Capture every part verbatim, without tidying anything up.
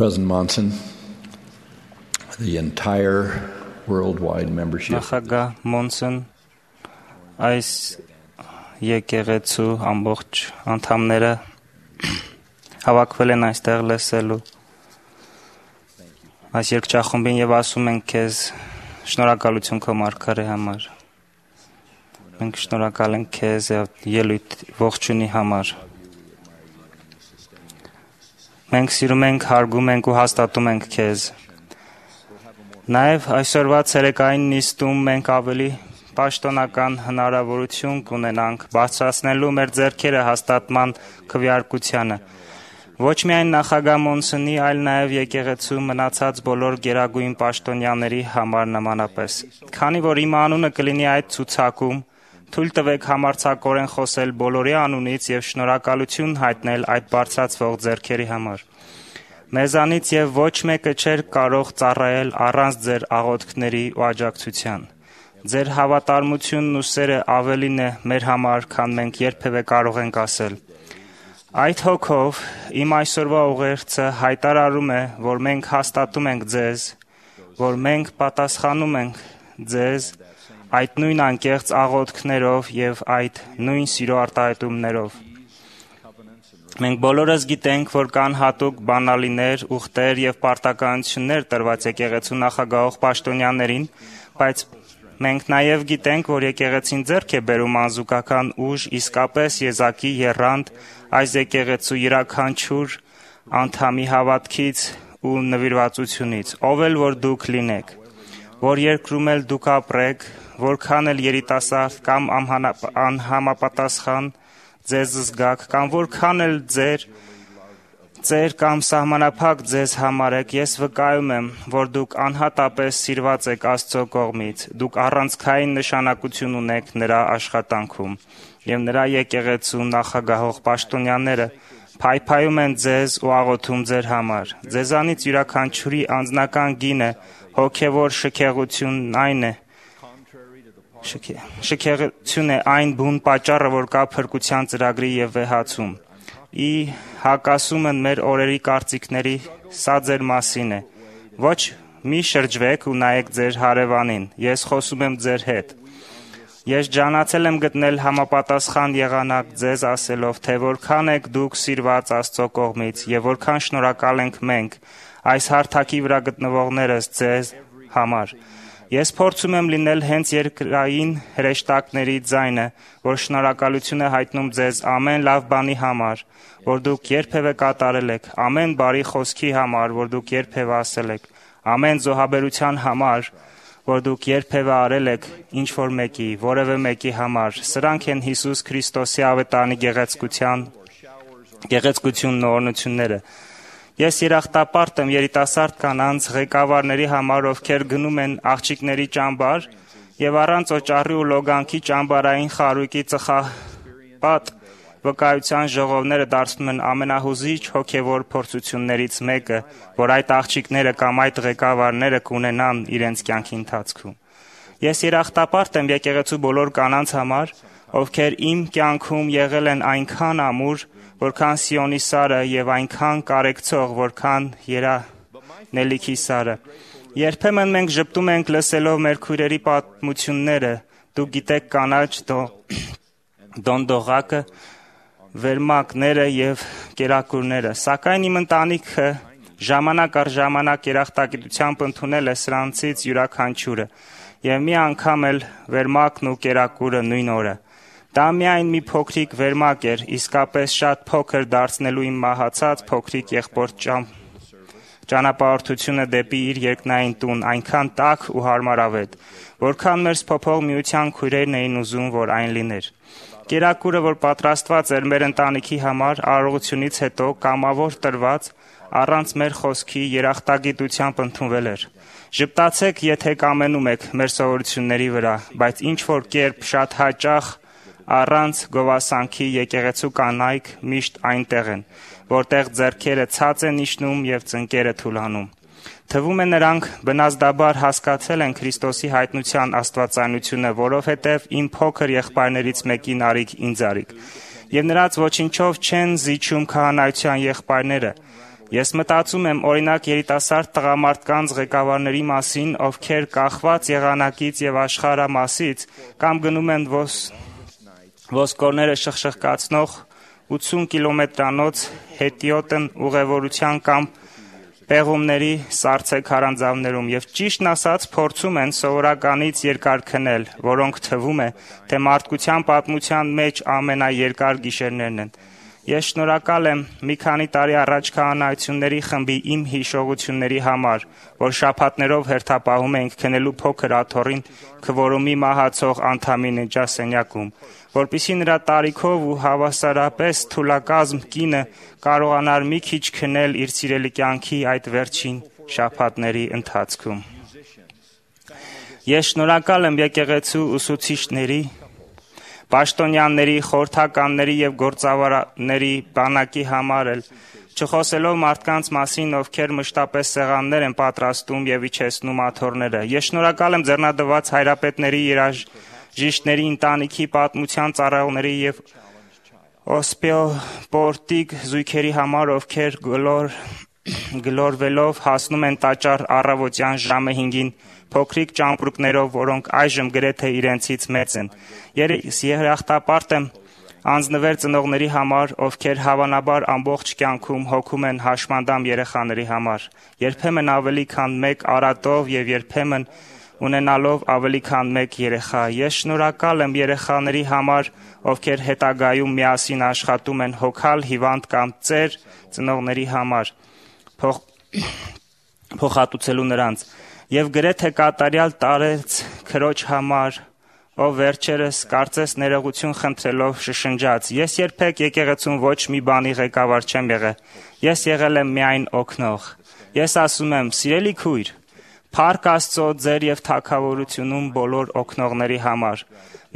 President Monson, the entire worldwide membership Նախագահ Մոնսոն այս եկեղեցու ամբողջ անդամները հավաքվել են այստեղ լսելու այս երգչախումբին եւ ասում են քեզ շնորհակալություն քո մարգարե համար։ Մենք շնորհակալ ենք քեզ ելույթ ողջունի համար։ Մենք սիրում ենք, հարգում ենք ու հաստատում ենք քեզ։ Նաև այսօրվա ցերեկային նիստում մենք ավելի պաշտոնական հնարավորություն կունենանք բարձրացնելու մեր ձեռքերը հաստատման քվեարկությանը։ Ոչ միայն նախագահ Մոնսոնի, այլ նաև եկեղեցու մնացած բոլոր գերագույն պաշտոնյաների համար նմանապես։ Քանի որ իմ անունը կլինի այդ ցուցակում, թույլ տվեք համարձակորեն խոսել բոլորի անունից եւ շնորհակալություն հայտնել այդ բարձրացվող ձեռքերի համար։ Մեզանից եւ ոչ մեկը չէր կարող ծառայել առանց ձեր աղոթքների ու աջակցության։ Ձեր հավատարմությունն ու սերը ավելին է մեր համար, քան մենք երբևէ կարող ենք ասել։ Այդ հոգով իմ այսօրվա ուղերձը հայտարարում է, որ մենք հաստատում ենք ձեզ, որ մենք պատասխանում ենք ձեզ այդ նույն անկեղծ աղոթքներով եւ այդ նույն սիրո արտահայտումներով։ Մենք բոլորս գիտենք, որ կան հատուկ բանալիներ, ուխտեր եւ պարտականություններ տրված եկեղեցու նախագահող պաշտոնյաներին, բայց մենք նաեւ գիտենք, որ եկեղեցին ձեռք է բերում անզուգական ուժ, իսկապես եզակի եռանդ այս եկեղեցու յուրաքանչյուր անդամի հավատքից ու նվիրվածությունից, ով էլ որ դուք լինեք, որ երկրում էլ դուք ապրեք, որքան էլ երիտասարդ կամ անհամապատասխան ձեզ զգաք, կամ որքան էլ ձեր ձեր կամ սահմանափակ ձեզ համարեք, ես վկայում եմ, որ դուք անհատապես սիրված եք Աստծո կողմից, դուք առանցքային նշանակություն ունեք նրա աշխատանքում, եւ նրա եկեղեցու նախագահող պաշտոնյաները փայփայում են ձեզ ու աղոթում ձեր համար։ Ձեզանից յուրաքանչյուրի անձնական գինը հոգևոր շքեղությունն այն է, շքեղություն է այն բուն պատճառը, որ կա փրկության ծրագրի եւ վեհացում։ Ի հակասումն մեր օրերի կարծիքների, սա ձեր մասին է։ Ոչ մի շրջվեք ու նայեք ձեր հարևանին, ես խոսում եմ ձեր հետ։ Ես ջանացել եմ գտնել համապատասխան եղանակ ձեզ ասելով, թե որքան եք դուք սիրված Աստծո կողմից եւ որքան շնորհակալ ենք մենք այս հարթակի վրա գտնվողներս ձեզ համար։ Ես փորձում եմ լինել հենց երկրային հրեշտակների ձայնը, որ շնորհակալություն է հայտնում ձեզ ամեն լավ բանի համար, որ դուք երբևէ կատարել եք, ամեն բարի խոսքի համար, որ դուք երբևէ ասել եք, ամեն զոհաբերության համար, որ դուք երբևէ արել եք ինչ որ մեկի, որևէ մեկի համար։ Սրանք են Հիսուս Քրիստոսի ավետարանի գեղեցկության, գեղեցկությունն ու օրհնությունները։ Ես երախտապարտ եմ երիտասարդ կանանց ղեկավարների համար, ովքեր գնում են աղջիկների ճամբար եւ առանց օճառի ու լոգանքի ճամբարային խարույկի ծխապատ վկայության ժողովները դարձնում են ամենահուզիչ հոգեվոր փորձություններից մեկը, որ այդ աղջիկները կամ այդ ղեկավարները կունենան իրենց կյանքի ընթացքում։ Ես երախտապարտ եմ եկեղեցու բոլոր կանանց համար, ովքեր իմ կյանքում եղել են այնքան ամուր, որքան Սիոնի սարը եւ այնքան կարեկցող, որքան երանելիքի սարը։ Երբեմն մենք ճպտում ենք լսելով մեր քույրերի պատմությունները, դուք գիտեք կանաչ դոնդողակը, վերմակները եւ կերակուրները, սակայն իմ ընտանիքը ժամանակ առ ժամանակ երախտագիտությամբ ընդունել է սրանցից յուրաքանչյուրը եւ մի անգամ էլ վերմակն ու կերակուրը նույն օրը։ Դա միայն մի փոքրիկ վերմակ էր, իսկապես շատ փոքր դարձնելու իմ մահացած փոքրիկ եղբոր ճանապարհորդությունը դեպի իր երկնային տուն այնքան տաք ու հարմարավետ, որքան մեր սփոփող միության քույրերն էին ուզում, որ այն լիներ։ Կերակուրը, որ պատրաստված էր մեր ընտանիքի համար, արարողությունից հետո կամավոր տրված, առանց մեր խոսքի երախտագիտությամբ ընդունվել էր։ Ժպտացեք, եթե կամենում եք մեր սովորությունների վրա, բայց ինչ որ կերպ շատ հաճախ առանց գովասանքի եկեղեցու կանայք միշտ այնտեղ են, որտեղ ձեռքերը ցած են իջնում եւ ծնկերը թուլանում։ Թվում է նրանք բնազդաբար հասկացել են Քրիստոսի հայտնության աստվածայնությունը, որովհետեւ իմ փոքր եղբայրներից մեկին արիք ինձ արիք։ Եվ նրանց ոչինչով չեն զիջում քահանայության եղբայրները, Ես մտածում եմ օրինակ երիտասարդ տղամարդկանց ղեկավարների մասին, ովքեր կախված եղանակից եւ աշխարհամասից կամ գնում են ոս, ոսկորները շխշխկացնող ութսուն կիլոմետրանոց հետիոտն ուղևորության կամ պեղումների սառցե քարանձավներում եւ ճիշտն ասած փորձում են սովորականից երկար քնել, որոնք թվում է, թե մարդկության պատմության մեջ ամենաերկար գիշերներն են։ Ես շնորհակալ եմ մի քանի տարի առաջ քահանայությունների խմբի իմ հիշողությունների համար, որ շաբաթներով հերթապահում էինք քնելու փոքր աթոռին քվորոմի մահացող անդամի ննջասենյակում, որպեսզի նրա տարիքով ու հավասարապես թուլակազմ կինը կարողանար մի քիչ քնել իր սիրելի կյանքի այդ վերջին շաբաթների ընթացքում։ Ես շնորհակալ եմ եկեղեցու ուսուցիչների, պաշտոնյաների, խորհրդականների եւ գործավարների բանակի համար էլ, չխոսելով մարդկանց մասին, ովքեր մշտապես սեղաններ են պատրաստում եւ իջեցնում աթոռները։ Ես շնորհակալ եմ ձեռնադրված հայրապետների, երաժիշտների, ընտանիքի պատմության ծառայողների եւ օսպիոպորտիկ զույգերի համար, ովքեր գլոր գլորվելով հասնում են տաճար առավոտյան ժամը հինգին փոքրիկ ճամպրուկներով, որոնք այժմ գրեթե իրենցից մեծ են։ Ես երախտապարտ եմ անձնվեր ծնողների համար, ովքեր հավանաբար ամբողջ կյանքում հոգում են հաշմանդամ երեխաների համար, երբեմն ավելի քան մեկ արատով եւ երբեմն ունենալով ավելի քան մեկ երեխա։ Ես շնորհակալ եմ երեխաների համար, ովքեր հետագայում միասին աշխատում են հոգալ հիվանդ կամ ծեր ծնողների համար, փոխ, փոխհատուցելու նրանց, եւ գրեթե կատարյալ տարեց քրոջ համար, ով վերջերս կարծես ներողություն խնդրելով շշնջաց. Ես երբեք եկեղեցուն ոչ մի բանի ղեկավար չեմ եղել, ես եղել եմ միայն օգնող։ Ես ասում եմ, սիրելի քույր, Փառք Աստծո ձեր եւ թագավորությունում բոլոր օգնողների համար։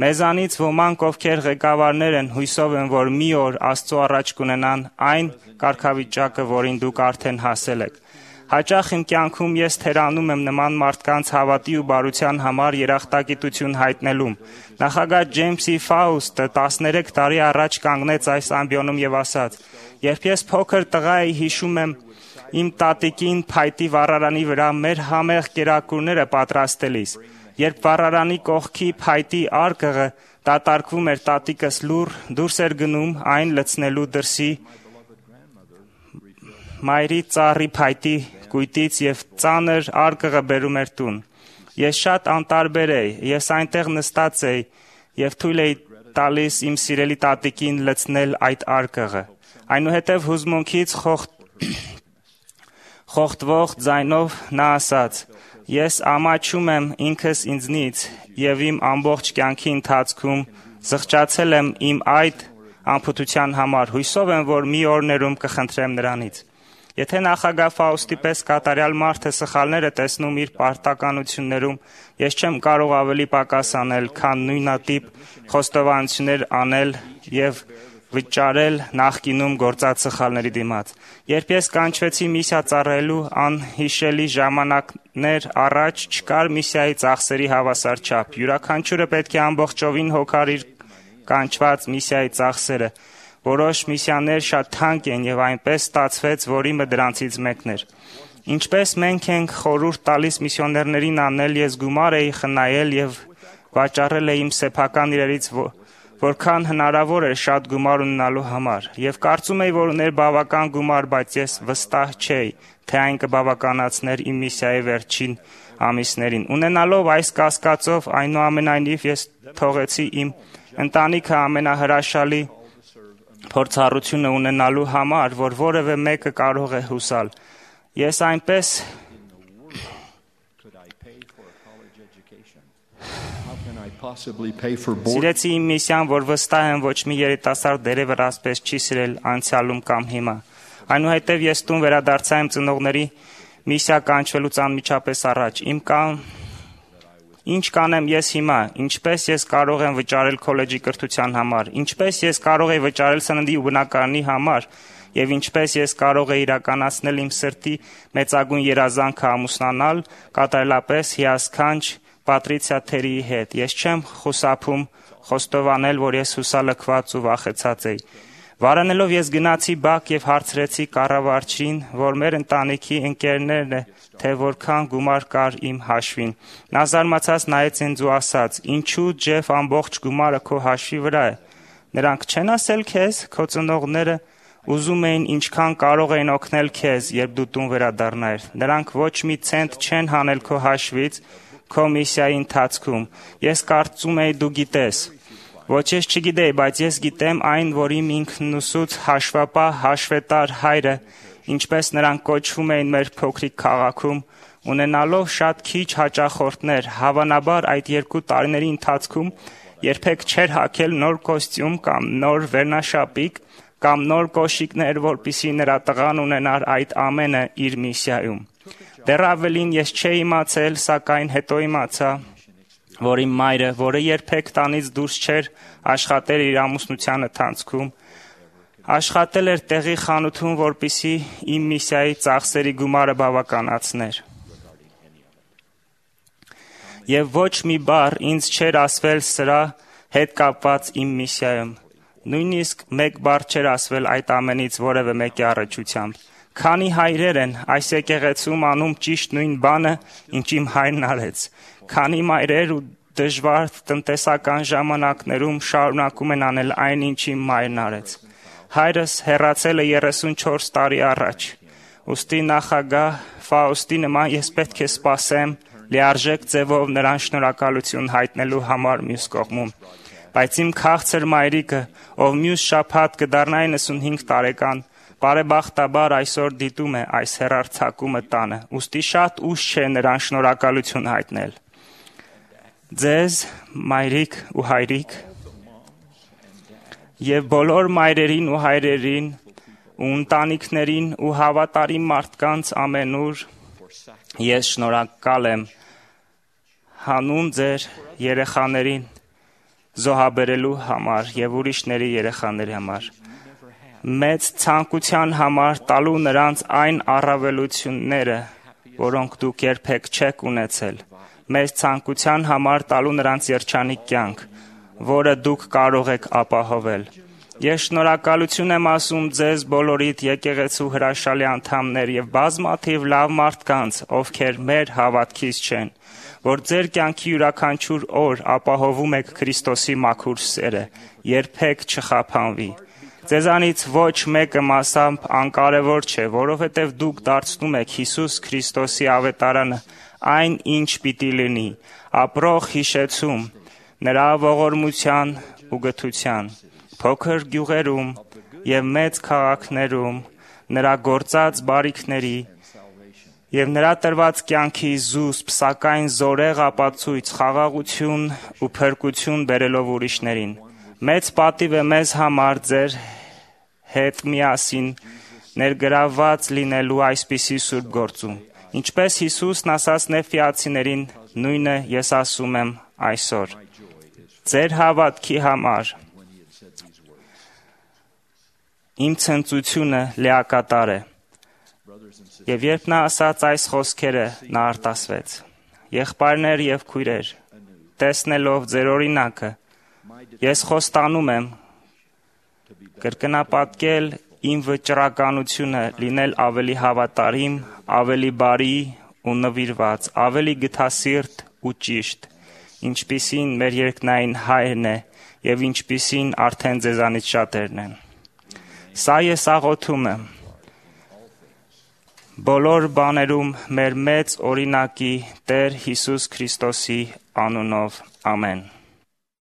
Մեզանից ոմանք, ովքեր ղեկավարներ են, հույսով են, որ մի օր Աստծո առաջ կունենան այն կարգավիճակը, որին դուք արդեն հասել եք։ Հաճախ իմ կյանքում ես թերանում եմ նման մարդկանց հավատի ու բարության համար երախտագիտություն հայտնելում։ Նախագահ Ջեյմսի Ֆաուստը տասներեք տարի առաջ կանգնեց այս ամբիոնում եւ ասաց. «Երբ ես փոքր տղա էի, հիշում եմ իմ տատիկին փայտի վառարանի վրա մեր համեղ կերակուրները պատրաստելիս։ Երբ վառարանի կողքի փայտի արկղը դատարկվում էր, տատիկս լուռ դուրս էր գնում այն լցնելու դրսի մայրի ծառի փայտի կույտից եւ ծանր արկղը բերում էր տուն։ Ես շատ անտարբեր էի, ես այնտեղ նստած էի եւ թույլ էի տալիս իմ սիրելի տատիկին լցնել այդ արկղը։ Այնուհետև հուզմունքից խոխտ խոխտվող ձայնով նա ասաց. «Ես ամաչում եմ ինքս ինձնից եւ իմ ամբողջ կյանքի ընթացքում զղջացել եմ իմ այդ անփութության համար, հույսով եմ, որ մի օրներում կխնդրեմ նրանից»։ Եթե նախագահ Ֆաուստի պես կատարյալ մարդը սխալներ է տեսնում իր պարտականություններում, ես չեմ կարող ավելի պակաս անել, քան նույնատիպ խոստովանություններ անել եւ վճարել նախկինում գործած սխալների դիմաց։ Երբ ես կանչվեցի միսիա ծառայելու անհիշելի ժամանակներ առաջ, չկար միսիայի ծախսերի հավասար չափ։ Յուրաքանչյուրը պետք է ամբողջովին հոգար իր կանչված միսիայի ծախսերը։ Որոշ միսիաներ շատ թանկ են եւ այնպես ստացվեց, որ իմը դրանցից մեկն էր։ Ինչպես մենք ենք խորհուրդ տալիս միսիոներներին անել, ես գումար էի խնայել եւ վաճառել էի իմ սեփական իրերից, որքան հնարավոր էր շատ գումար ունենալու համար, եւ կարծում էի, որ ուներ բավական գումար, բայց ես վստահ չէի, թե այն կբավականացներ իմ միսիայի վերջին ամիսներին։ Ունենալով այս կասկածով, այնուամենայնիվ ես թողեցի իմ ընտանիքը ամենահրաշալի փորձառությունը ունենալու համար, որ որևէ մեկը կարող է հուսալ։ Ես այնպես սիրեցի իմ միսիան, որ վստահ եմ ոչ մի երիտասարդ դերևս ասպես չի սիրել անցյալում կամ հիմա։ Այնուհետև ես տուն վերադարձա իմ ծնողների միսիա կանչվելուց անմիջապես առաջ։ Իմ կան Ինչ կանեմ ես հիմա, ինչպես ես կարող եմ վճարել քոլեջի կրթության համար, ինչպես ես կարող եմ վճարել սննդի ու բնակարանի համար, եւ ինչպես ես կարող եմ իրականացնել իմ սրտի մեծագույն երազանքը ամուսնանալ կատարելապես հիասքանչ Պատրիցիա Թերիի հետ։ Ես չեմ խուսափում խոստովանել, որ ես հուսալքված ու վախեցած էի։ Վարանելով ես գնացի բակ եւ հարցրեցի կառավարչին, որ մեր ընտանիքի ընկերներն է, թե որքան գումար կար իմ հաշվին։ Նա զարմացած նայեց ինձ ու ասաց. «Ինչու Ջեֆ ամբողջ գումարը քո հաշվի վրա է։ Նրանք չեն ասել քեզ, քո ծնողները ուզում էին ինչքան կարող էին օգնել քեզ, երբ դու տուն վերադառնայիր։ Նրանք ոչ մի ցենտ չեն հանել քո հաշվից քո միսիայի ընթացքում։ Ես կարծում էի դու գիտես»։ Ոչ ես չգիտեի, բայց ես գիտեմ այն, որ իմ ինքնուսուց հաշվապահ հաշվետար հայրը, ինչպես նրանք կոչվում էին մեր փոքրիկ քաղաքում, ունենալով շատ քիչ հաճախորդներ, հավանաբար այդ երկու տարիների ընթացքում երբեք չէր հագել նոր կոստյում կամ նոր վերնաշապիկ կամ նոր կոշիկներ, որպեսզի նրա տղան ունենար այդ ամենը իր միսիայում։ Դեռ ավելին ես չէի իմացել, սակայն հետո իմացա, որ իմ մայրը, որը երբեք տանից դուրս չէր աշխատել իր ամուսնության ընթացքում, աշխատել էր տեղի խանութում, որպեսզի իմ միսիայի ծախսերի գումարը բավականացներ։ Եվ ոչ մի բառ ինձ չէր ասվել սրա հետ կապված իմ միսիայում։ Նույնիսկ մեկ բառ չէր ասվել այդ ամենից որևէ մեկի առնչությամբ։ Քանի հայրեր են այս եկեղեցում անում ճիշտ նույն բանը, ինչ իմ հայրն արեց։ Քանի մայրեր ու դժվար տնտեսական ժամանակներում շարունակում են անել այն, ինչ իմ մայրն արեց։ Հայրս հեռացել է երեսունչորս տարի առաջ։ Ուստի նախագահ Ֆաուստի նման ես պետք է սպասեմ լիարժեք ձևով նրան շնորհակալություն հայտնելու համար մյուս կողմում։ Բայց իմ քաղցր մայրիկը, ով մյուս շաբաթ կդառնա իննսունհինգ տարեկան, բարեբախտաբար այսօր դիտում է այս հեռարձակումը տանը, ուստի շատ ուշ չէ նրան շնորհակալություն հայտնել։ Ձեզ, մայրիկ ու հայրիկ, եւ բոլոր մայրերին ու հայրերին ու ընտանիքներին ու հավատարիմ մարդկանց ամենուր ես շնորհակալ եմ հանուն ձեր երեխաներին զոհաբերելու համար եւ ուրիշների երեխաների համար։ Մեծ ցանկության համար տալու նրանց այն առավելությունները, որոնք դուք երբեք չեք ունեցել։ Մեծ ցանկության համար տալու նրանց երջանիկ կյանք, որը դուք կարող եք ապահովել։ Ես շնորհակալություն եմ ասում ձեզ բոլորիդ եկեղեցու հրաշալի անդամներ եւ բազմաթիվ լավ մարդկանց, ովքեր մեր հավատքից չեն, որ ձեր կյանքի յուրաքանչյուր օր ապահովում եք Քրիստոսի մաքուր սերը, երբեք չխափանվի։ Ձեզանից ոչ մեկը մասամբ անկարևոր չէ, որովհետև դուք դարձնում եք Հիսուս Քրիստոսի ավետարանը այն, ինչ պիտի լինի, ապրող հիշեցում, նրա ողորմության ու գթության, փոքր գյուղերում եւ մեծ քաղաքներում, նրա գործած բարիքների եւ նրա տրված կյանքի զուսպ, սակայն զորեղ ապացույց, խաղաղություն ու փրկություն բերելով ուրիշներին։ Մեծ պատիվ է մեզ համար ձեր հետ միասին ներգրավված լինելու այսպիսի սուրբ գործում։ Ինչպես Հիսուսն ասաց նեֆիացիներին, նույնը ես ասում եմ այսօր։ Ձեր հավատքի համար իմ ցնծությունը լիակատար է։ Եվ երբ նա ասաց այս խոսքերը, նա արտասվեց. Եղբայրներ եւ քույրեր, տեսնելով ձեր օրինակը, ես խոստանում եմ կրկնապատկել իմ վճռականությունը լինել ավելի հավատարիմ, ավելի բարի ու նվիրված, ավելի գթասիրտ ու ճիշտ, ինչպիսին մեր երկնային հայրն է եւ ինչպիսին արդեն ձեզանից շատերն են։ Սա ես աղոթում եմ բոլոր բաներում մեր մեծ օրինակի Տեր Հիսուս Քրիստոսի անունով, ամեն։